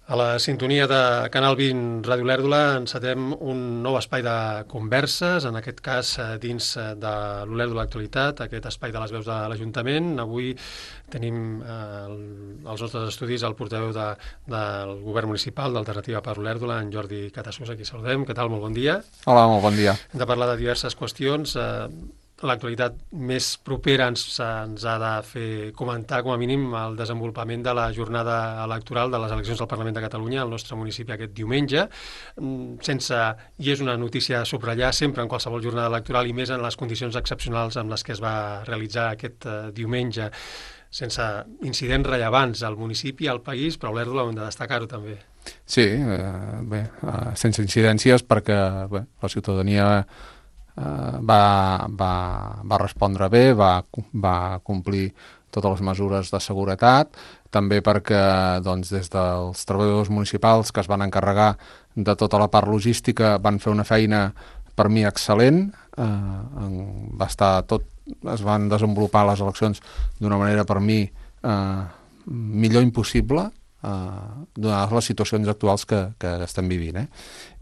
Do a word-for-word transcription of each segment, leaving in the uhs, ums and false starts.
A la sintonia de Canal vint Ràdio Olèrdola encetem un nou espai de converses, en aquest cas dins de l'Olèrdola Actualitat, aquest espai de les veus de l'Ajuntament. Avui tenim eh, als nostres estudis el portaveu de, del govern municipal d'Alternativa per Olèrdola, en Jordi Catasús, aquí saludem. Què tal? Molt bon dia. Hola, molt bon dia. Hem de parlar de diverses qüestions. Eh, L'actualitat més propera ens, ens ha de fer comentar, com a mínim, el desenvolupament de la jornada electoral de les eleccions del Parlament de Catalunya al nostre municipi aquest diumenge. Sense, i és una notícia a subratllar sempre en qualsevol jornada electoral i més en les condicions excepcionals amb les que es va realitzar aquest uh, diumenge, sense incidents rellevants al municipi, al país, però a Olèrdola hem de destacar-ho també. Sí, eh, bé, eh, sense incidències perquè bé, la ciutadania Uh, va, va, va respondre bé, va, va complir totes les mesures de seguretat, també perquè doncs, des dels treballadors municipals que es van encarregar de tota la part logística van fer una feina per mi excel·lent, uh, va estar tot, es van desenvolupar les eleccions d'una manera per mi uh, millor impossible, Uh, donades les situacions actuals que, que estem vivint, eh?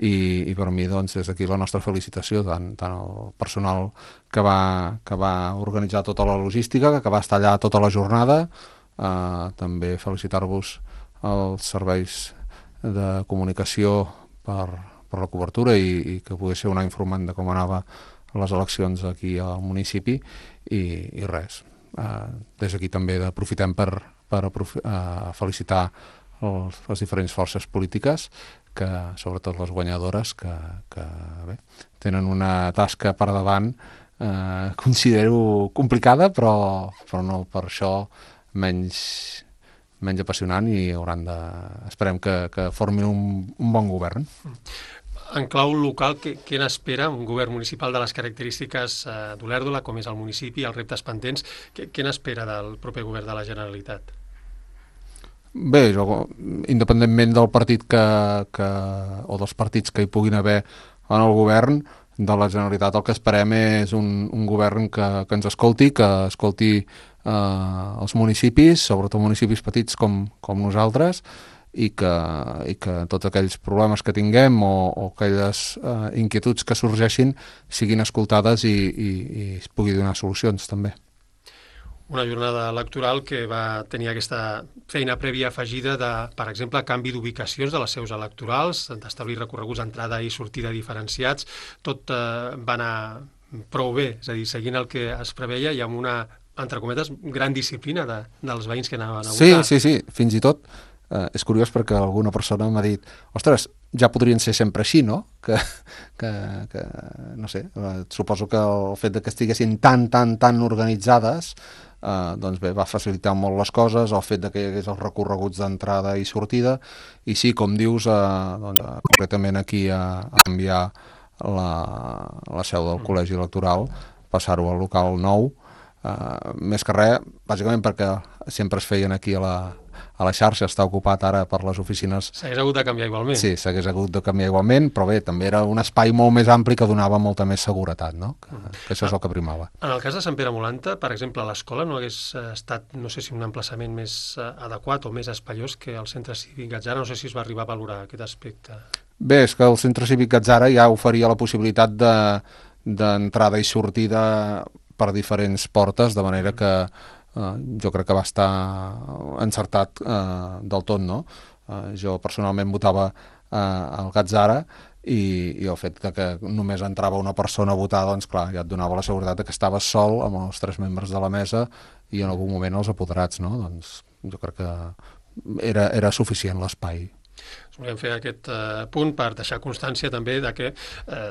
I, i per mi doncs des d'aquí la nostra felicitació tant, tant al personal que va, que va organitzar tota la logística, que va estar allà tota la jornada, uh, també felicitar-vos als serveis de comunicació per, per la cobertura i, i que pogués ser una informant de com anava les eleccions aquí al municipi i, i res, uh, des d'aquí també aprofitem per per uh, felicitar els, les diferents forces polítiques, que sobretot les guanyadores, que, que bé, tenen una tasca per davant, eh, considero complicada, però, però no per això menys, menys apassionant i hauran de, esperem que, que formin un, un bon govern. En clau local, què, què n'espera un govern municipal de les característiques eh, d'Olèrdola, com és el municipi, els reptes pendents? Què, què n'espera del proper govern de la Generalitat? Bé, jo, independentment del partit que, que, o dels partits que hi puguin haver en el govern de la Generalitat, el que esperem és un, un govern que, que ens escolti, que escolti eh, els municipis, sobretot municipis petits com, com nosaltres, i que, i que tots aquells problemes que tinguem o, o aquelles eh, inquietuds que sorgeixin siguin escoltades i, i, i es pugui donar solucions també. Una jornada electoral que va tenir aquesta feina prèvia afegida de, per exemple, canvi d'ubicacions de les seus electorals, d'establir recorreguts d'entrada i sortida diferenciats. Tot eh, va anar prou bé, és a dir, seguint el que es preveia i amb una, entre cometes, gran disciplina de, dels veïns que anaven a votar. Sí, sí, sí, fins i tot. Eh, és curiós perquè alguna persona m'ha dit ostres, ja podrien ser sempre així, no? Que, que, que no sé, eh, suposo que el fet de que estiguessin tan, tan, tan organitzades eh, doncs bé, va facilitar molt les coses, el fet de que hi hagués els recorreguts d'entrada i sortida, i sí, com dius, eh, doncs, eh, concretament aquí a, a canviar la, la seu del col·legi electoral, passar-ho al local nou, eh, més que res, bàsicament perquè sempre es feien aquí a la a la xarxa, està ocupat ara per les oficines. S'hagués hagut de canviar igualment. Sí, s'hagués hagut de canviar igualment, però bé, també era un espai molt més ampli que donava molta més seguretat, no? Que, que això és el que primava. En el cas de Sant Pere Molanta, per exemple, l'escola no hagués estat, no sé si un emplaçament més adequat o més espaiós que el centre cívic Gatzara, no sé si es va arribar a valorar aquest aspecte. Bé, és que el centre cívic Gatzara ja oferia la possibilitat de, d'entrada i sortida per diferents portes, de manera que Uh, jo crec que va estar encertat uh, del tot, no? Uh, jo personalment votava uh, al Gatzara i, i el fet de que només entrava una persona a votar, doncs clar, ja et donava la seguretat que estaves sol amb els tres membres de la mesa i en algun moment els apoderats, no? Doncs jo crec que era, era suficient l'espai. Volem fer aquest eh, punt per deixar constància també de que eh,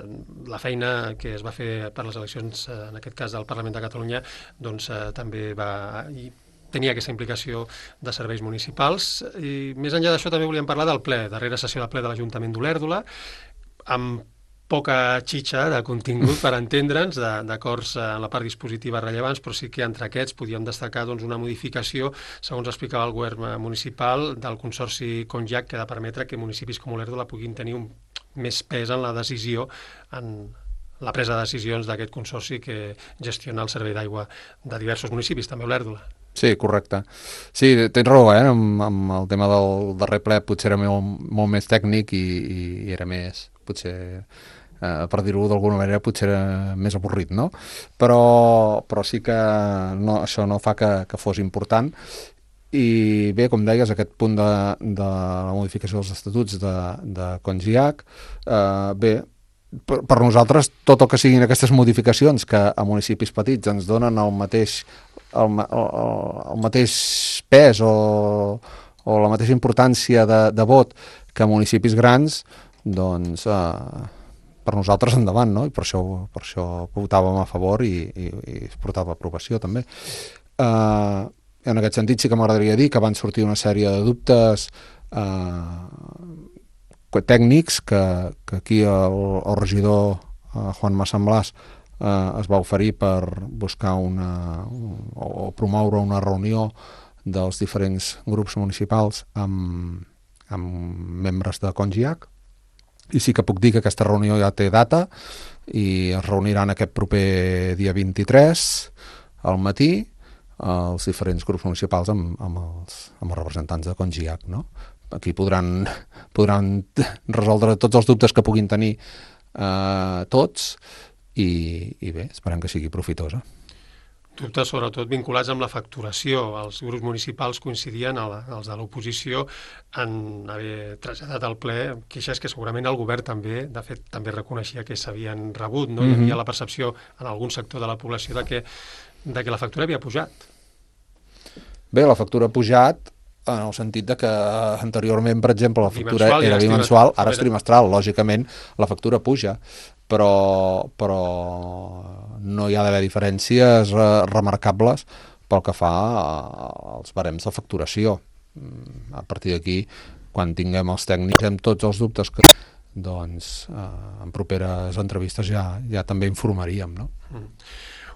la feina que es va fer per les eleccions, eh, en aquest cas del Parlament de Catalunya, doncs eh, també va i tenia aquesta implicació de serveis municipals. I més enllà d'això també volíem parlar del ple, darrera sessió del ple de l'Ajuntament d'Olèrdola, amb poca xitxa de contingut per entendre'ns, d'acords en la part dispositiva rellevants, però sí que entre aquests podíem destacar doncs, una modificació, segons explicava el govern municipal, del Consorci Conjac, que ha de permetre que municipis com Olèrdola puguin tenir un, més pes en la decisió, en la presa de decisions d'aquest consorci que gestiona el servei d'aigua de diversos municipis, també Olèrdola. Sí, correcte. Sí, tens raó, eh? Amb, amb el tema del darrer ple potser era molt, molt més tècnic i, i era més, potser, eh, per dir-ho d'alguna manera, potser era més avorrit, no? Però, però sí que no, això no fa que, que fos important. I bé, com deies, aquest punt de, de la modificació dels estatuts de, de Congiac, eh, bé, per, per nosaltres tot el que siguin aquestes modificacions que a municipis petits ens donen el mateix el, el, el mateix pes o, o la mateixa importància de, de vot que a municipis grans, doncs eh, per nosaltres endavant, no? I per això, per això votàvem a favor i, i, i es portava a aprovació també. Eh, en aquest sentit sí que m'agradaria dir que van sortir una sèrie de dubtes eh, tècnics que, que aquí el, el regidor eh, Juan Massamblàs eh, es va oferir per buscar una, un, o promoure una reunió dels diferents grups municipals amb, amb membres de Congiac, i sí que puc dir que aquesta reunió ja té data i es reuniran aquest proper dia vint-i-tres al matí els diferents grups municipals amb, amb, els, amb els representants de Congiac, no? Aquí podran, podran resoldre tots els dubtes que puguin tenir eh, tots i, i bé, esperem que sigui profitosa. Dubtes sobretot vinculats amb la facturació. Els grups municipals coincidien, els de l'oposició, en haver traslladat al ple queixes que segurament el govern també, de fet, també reconeixia que s'havien rebut, no? Mm-hmm. Hi havia la percepció en algun sector de la població de que, de que la factura havia pujat. Bé, la factura ha pujat en el sentit de que anteriorment, per exemple, la factura bimensual, era ja bimensual, ara és trimestral. Lògicament, la factura puja, però, però no hi ha d'haver diferències remarcables pel que fa als barems de facturació. A partir d'aquí, quan tinguem els tècnics amb tots els dubtes, que, doncs eh, en properes entrevistes ja, ja també informaríem, no? Mm.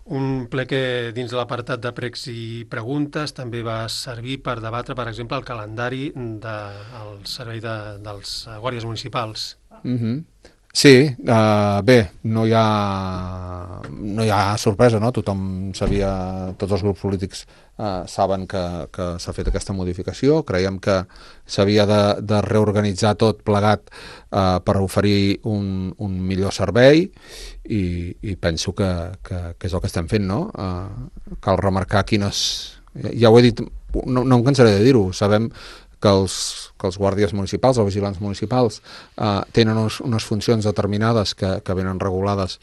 Un ple que dins de l'apartat de pregs i preguntes també va servir per debatre, per exemple, el calendari del servei de, dels guàrdies municipals. Mm-hmm. Sí, uh, bé, no hi ha no hi ha sorpresa, no? Tothom sabia, tots els grups polítics uh, saben que, que s'ha fet aquesta modificació. Creiem que s'havia de, de reorganitzar tot plegat uh, per oferir un, un millor servei i, i penso que, que, que és el que estem fent, no? Uh, cal remarcar quines... Ja ho he dit, no, no em cansaré de dir-ho, sabem que els, que els guàrdies municipals, els vigilants municipals, eh, tenen unes, unes funcions determinades que, que venen regulades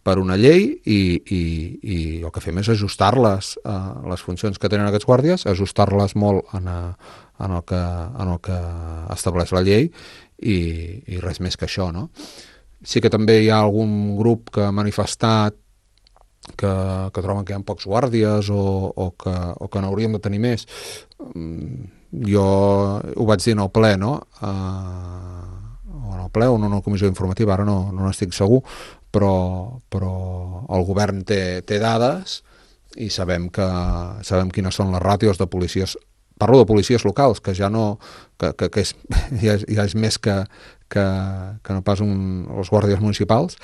per una llei i, i, i el que fem és ajustar-les, eh, les funcions que tenen aquests guàrdies, ajustar-les molt en, a, en, el que, en el que estableix la llei i, i res més que això, no? Sí que també hi ha algun grup que ha manifestat que, que troben que hi ha pocs guàrdies o, o, que, o que n'hauríem de tenir més. Jo ho vaig dir en el ple, no? Uh, o en el ple o en una comissió informativa, ara no, no n'estic segur, però, però el govern té, té dades i sabem, que, sabem quines són les ràtios de policies. Parlo de policies locals, que ja no que, que, que és, ja, és, ja és més que, que, que no pas un, els guàrdies municipals,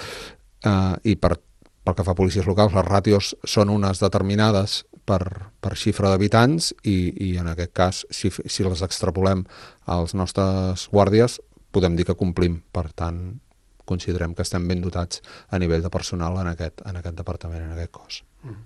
uh, i per pel que fa a policies locals, les ràtios són unes determinades per, per xifra d'habitants i, i en aquest cas, si, si les extrapolem als nostres guàrdies, podem dir que complim. Per tant, considerem que estem ben dotats a nivell de personal en aquest, en aquest departament, en aquest cos. Mm.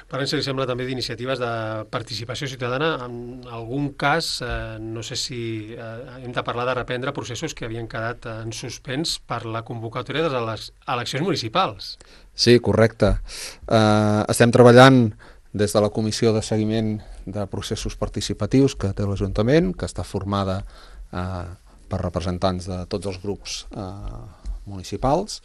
Parlem, si li sembla, també d'iniciatives de participació ciutadana. En algun cas, eh, no sé si eh, hem de parlar de reprendre processos que havien quedat en suspens per la convocatòria de les eleccions municipals. Sí, correcte. Uh, estem treballant des de la Comissió de Seguiment de Processos Participatius que té l'Ajuntament, que està formada uh, per representants de tots els grups uh, municipals,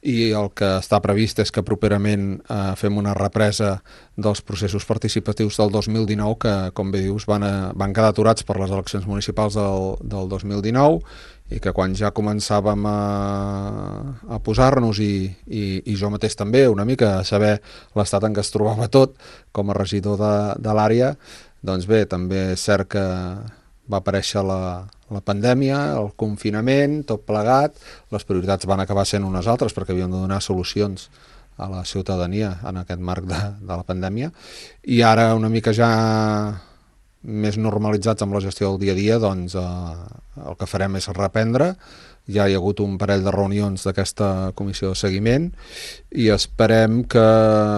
i el que està previst és que properament eh, fem una represa dels processos participatius del dos mil dinou que, com bé dius, van, a, van quedar aturats per les eleccions municipals del, del dos mil dinou i que quan ja començàvem a, a posar-nos i, i, i jo mateix també una mica a saber l'estat en què es trobava tot com a regidor de, de l'àrea, doncs bé, també és cert que va aparèixer la, la pandèmia, el confinament, tot plegat, les prioritats van acabar sent unes altres perquè havíem de donar solucions a la ciutadania en aquest marc de, de la pandèmia, i ara una mica ja més normalitzats amb la gestió del dia a dia, doncs eh, el que farem és reprendre. Ja hi ha hagut un parell de reunions d'aquesta comissió de seguiment i esperem que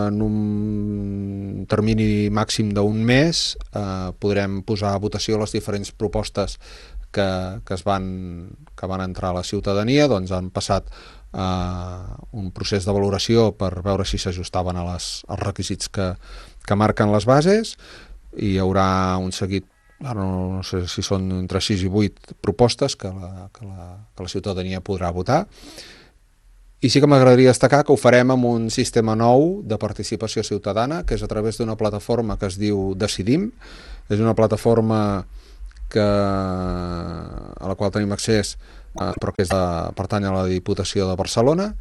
en un termini màxim d'un mes eh, podrem posar a votació les diferents propostes que, que, es van, que van entrar a la ciutadania. Doncs han passat eh, un procés de valoració per veure si s'ajustaven a les, als requisits que, que marquen les bases, i hi haurà un seguit, ara no, no sé si són entre sis i vuit propostes que la, que la, que la ciutadania podrà votar. I sí que m'agradaria destacar que ho farem amb un sistema nou de participació ciutadana, que és a través d'una plataforma que es diu Decidim. És una plataforma que, a la qual tenim accés, eh, però que és de, pertany a la Diputació de Barcelona,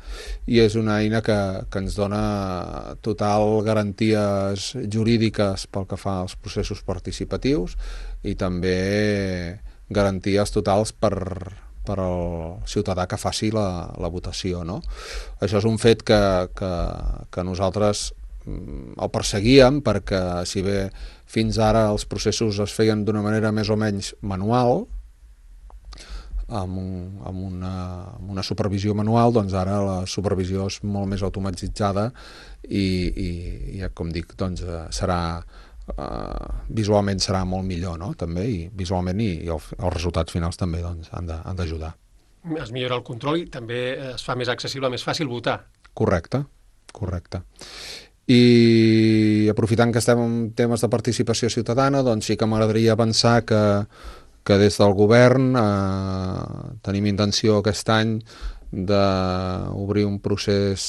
i és una eina que, que ens dona total garanties jurídiques pel que fa als processos participatius i també garanties totals per, per al ciutadà que faci la, la votació, no? Això és un fet que, que, que nosaltres el perseguíem, perquè si bé fins ara els processos es feien d'una manera més o menys manual, amb, un, amb, una, amb una supervisió manual, doncs ara la supervisió és molt més automatitzada i, i, i com dic, doncs serà uh, visualment serà molt millor, no? També, i visualment i, i el, els resultats finals també doncs, han d'ajudar. Es millora el control i també es fa més accessible, més fàcil votar. Correcte, correcte. I aprofitant que estem en temes de participació ciutadana, doncs sí que m'agradaria avançar que, que des del govern eh, tenim intenció aquest any d'obrir un procés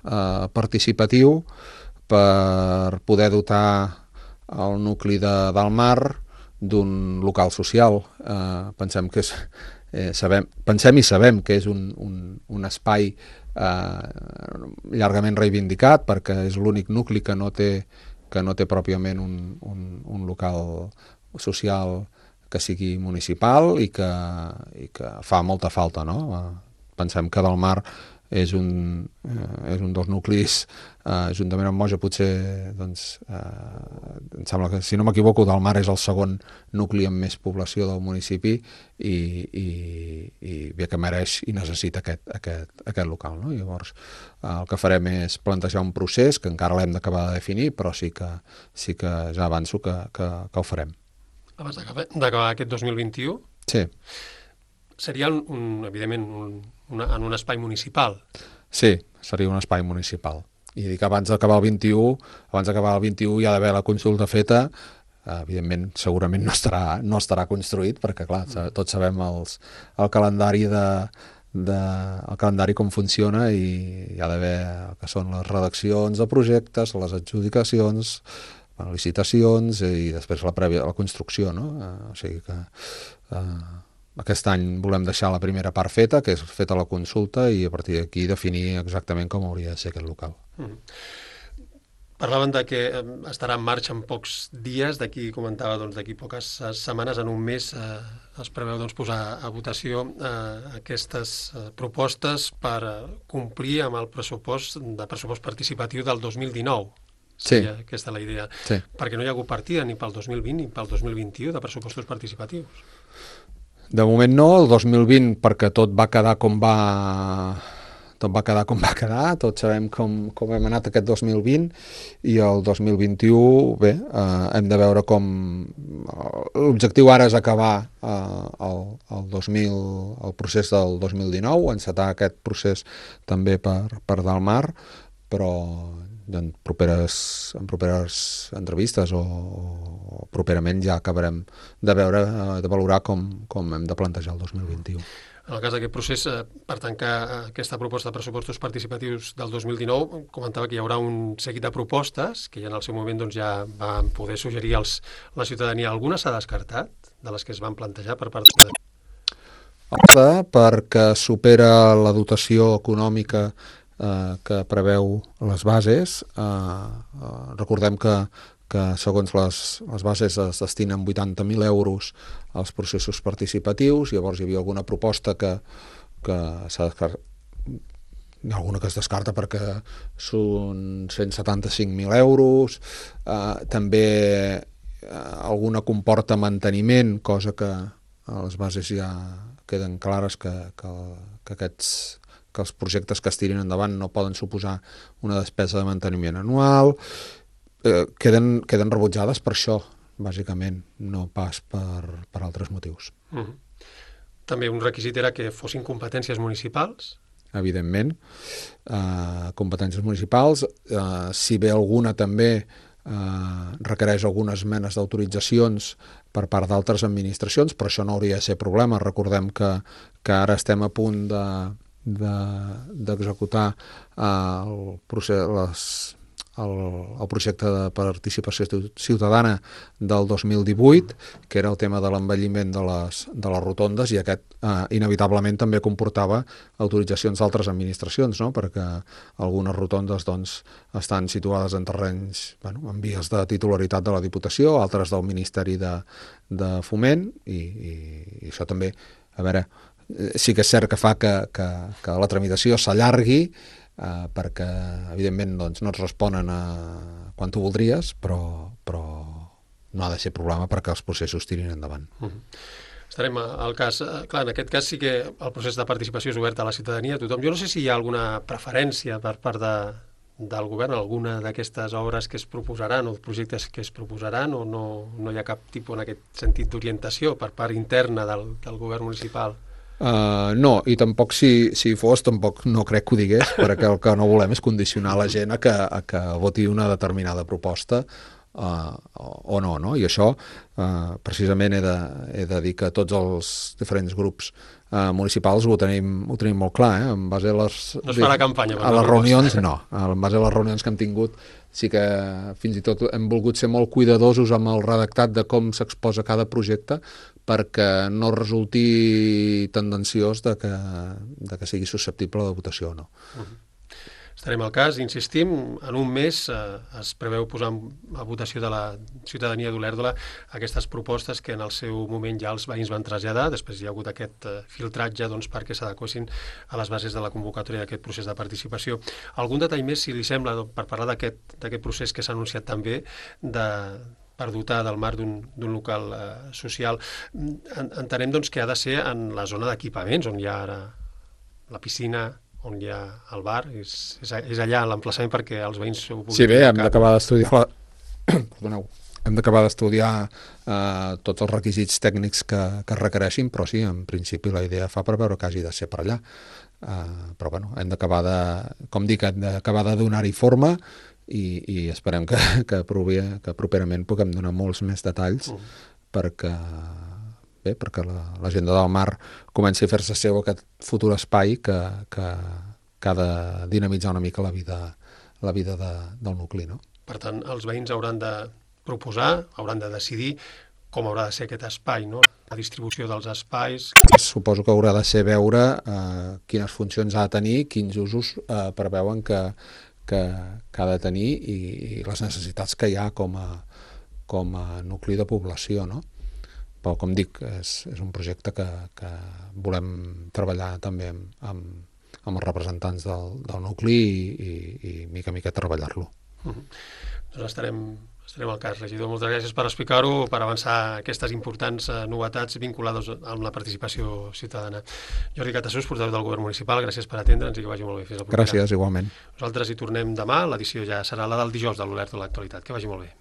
eh, participatiu per poder dotar el nucli de, del Mar d'un local social. Eh, pensem que és, eh, sabem, pensem i sabem que és un, un, un espai Uh, llargament reivindicat, perquè és l'únic nucli que no té, que no té pròpiament un, un, un local social que sigui municipal i que, i que fa molta falta, no? Uh, pensem que Del Mar és un, uh, és un dels nuclis, uh, juntament amb Moja potser, doncs, uh, em sembla que, si no m'equivoco, Del Mar és el segon nucli amb més població del municipi i, i, i bé que mereix i necessita aquest, aquest, aquest local, no? Llavors, uh, el que farem és plantejar un procés que encara l'hem d'acabar de definir, però sí que, sí que ja avanço que, que, que ho farem. Abans d'acabar aquest dos mil vint-i-u? Sí. Seria, un, evidentment, un, una, en un espai municipal. Sí, seria un espai municipal. I dic, abans d'acabar el vint-i-u, abans d'acabar el vint-i-u hi ha d'haver la consulta feta. Evidentment, segurament no estarà, no estarà construït, perquè, clar, tots sabem els, el calendari de, de, el calendari com funciona, i hi ha d'haver el que són les redaccions de projectes, les adjudicacions, les licitacions i després la, prèvia, la construcció, no? O sigui que... Eh, aquest any volem deixar la primera part feta, que és feta la consulta, i a partir d'aquí definir exactament com hauria de ser aquest local. Mm. Parlaven de que estarà en marxa en pocs dies, d'aquí comentava doncs, d'aquí poques setmanes, en un mes eh, es preveu doncs, posar a votació eh, aquestes eh, propostes per eh, complir amb el pressupost de pressupost participatiu del dos mil dinou. Sí. Aquesta és la idea. Sí. Perquè no hi ha hagut partida ni pel dos mil vint ni pel dos mil vint-i-u de pressupostos participatius. De moment no, el dos mil vint perquè tot va quedar com va tot va quedar com va quedar, tots sabem com, com hem anat aquest dos mil vint, i el dos mil vint-i-u, bé, eh, hem de veure com... L'objectiu ara és acabar eh, el, el, dos mil, el procés del dos mil dinou, encetar aquest procés també per, per Del Mar, però en properes, en properes entrevistes o, o properament ja acabarem de veure, de valorar com, com hem de plantejar el dos mil vint-i-u. En el cas d'aquest procés, per tancar aquesta proposta de pressupostos participatius del dos mil dinou, comentava que hi haurà un seguit de propostes que ja en el seu moment doncs, ja van poder suggerir als, la ciutadania. Alguna s'ha descartat de les que es van plantejar per part de... Perquè supera la dotació econòmica eh, que preveu les bases. Eh, eh, recordem que, que segons les, les bases es destinen vuitanta mil euros als processos participatius. Llavors hi havia alguna proposta que, que s'ha descartat, hi ha alguna que es descarta perquè són cent setanta-cinc mil euros, eh, també eh, alguna comporta manteniment, cosa que a les bases ja queden clares que, que, que aquests que els projectes que es tirin endavant no poden suposar una despesa de manteniment anual, eh, queden, queden rebutjades per això, bàsicament, no pas per, per altres motius. Mm-hmm. També un requisit era que fossin competències municipals? Evidentment, eh, competències municipals, eh, si bé alguna també eh, requereix algunes menes d'autoritzacions per part d'altres administracions, però això no hauria de ser problema. Recordem que, que ara estem a punt de d'executar de, el, procés, les, el, el projecte de participació ciutadana del dos mil divuit, que era el tema de l'envelliment de les, de les rotondes, i aquest eh, inevitablement també comportava autoritzacions d'altres administracions, no? Perquè algunes rotondes doncs, estan situades en terrenys, bueno, en vies de titularitat de la Diputació, altres del Ministeri de, de Foment, i, i, i això també, a veure, sí que és cert que fa que, que, que la tramitació s'allargui, eh, perquè evidentment doncs, no et responen a quan tu voldries, però, però no ha de ser problema perquè els processos tirin endavant. Mm-hmm. Estarem al cas. Clar, en aquest cas sí que el procés de participació és obert a la ciutadania, a tothom. Jo no sé si hi ha alguna preferència per part de, del govern, alguna d'aquestes obres que es proposaran o projectes que es proposaran, o no, no hi ha cap tipus en aquest sentit d'orientació per part interna del, del govern municipal? Uh, no, i tampoc si, si fos, tampoc no crec que ho digués, perquè el que no volem és condicionar la gent a que, a que voti una determinada proposta uh, o no, no? I això uh, precisament he de, he de dir que tots els diferents grups uh, municipals ho tenim, ho tenim molt clar, eh? En base a les, no es farà campanya, a les reunions, no, en base a les reunions que hem tingut sí que fins i tot hem volgut ser molt cuidadosos amb el redactat de com s'exposa cada projecte, perquè no resulti tendenciós de que, de que sigui susceptible de votació o no. Uh-huh. Estarem al cas, insistim, en un mes eh, es preveu posar a votació de la ciutadania d'Olèrdola aquestes propostes que en el seu moment ja els veïns van traslladar, després hi ha hagut aquest eh, filtratge doncs, perquè s'adequessin a les bases de la convocatòria d'aquest procés de participació. Algun detall més, si li sembla, per parlar d'aquest d'aquest procés que s'ha anunciat també, de per dotar del marc d'un local eh, social. En, entenem doncs, que ha de ser en la zona d'equipaments, on hi ha ara la piscina, on hi ha el bar, és, és, és allà l'emplaçament perquè els veïns ho puguin... Sí, bé, hem d'acabar d'estudiar la... Perdoneu. Hem d'acabar d'estudiar eh, tots els requisits tècnics que, que es requereixin, però sí, en principi la idea fa per veure que hagi de ser per allà. Eh, però bueno, hem d'acabar de... Com dic, hem d'acabar de donar-hi forma i, i esperem que, que, provi, que properament puguem donar molts més detalls uh. perquè... bé, perquè l'agenda del mar comenci a fer-se seu aquest futur espai que, que, que ha de dinamitzar una mica la vida, la vida de, del nucli, no? Per tant, els veïns hauran de proposar, hauran de decidir com haurà de ser aquest espai, no? La distribució dels espais... Suposo que haurà de ser veure eh, quines funcions ha de tenir, quins usos eh, preveuen que, que, que ha de tenir i, i les necessitats que hi ha com a, com a nucli de població, no? Però, com dic, és, és un projecte que, que volem treballar també amb, amb, amb els representants del, del nucli i, i, i mica a mica treballar-lo. Uh-huh. Doncs estarem, estarem al cas, regidor. Moltes gràcies per explicar-ho, per avançar aquestes importants uh, novetats vinculades amb la participació ciutadana. Jordi Catasús, portaveu del Govern Municipal, gràcies per atendre'ns i que vagi molt bé. Fins al proper. Gràcies, igualment. Nosaltres hi tornem demà, l'edició ja serà la del dijous de l'Olèrdola de l'Actualitat. Que vagi molt bé.